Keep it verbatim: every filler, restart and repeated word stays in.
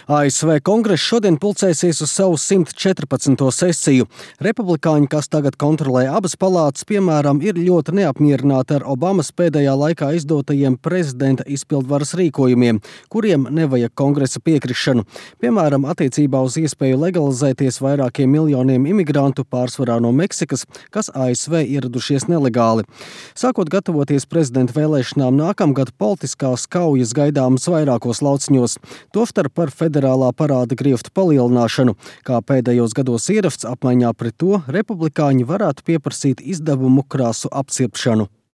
A S V kongress šodien pulcēsies uz savu simt četrpadsmito sesiju. Republikāņi, kas tagad kontrolē abas palātas, piemēram, ir ļoti neapmierināti ar Obamas pēdējā laikā izdotajiem prezidenta izpildvaras rīkojumiem, kuriem nevajag kongresa piekrišanu. Piemēram, attiecībā uz iespēju legalizēties vairākiem miljoniem imigrantu, pārsvarā no Meksikas, kas A S V ieradušies nelegāli. Sākot gatavoties prezidenta vēlēšanām nākamgad, politiskās kaujas gaidāmas vairākos lauciņos. Tostarp par federālā parāda grieftu palielināšanu. Kā pēdējos gados ierasts, apmaiņā pret to republikāņi varētu pieprasīt izdevumu krāsu apcirpšanu.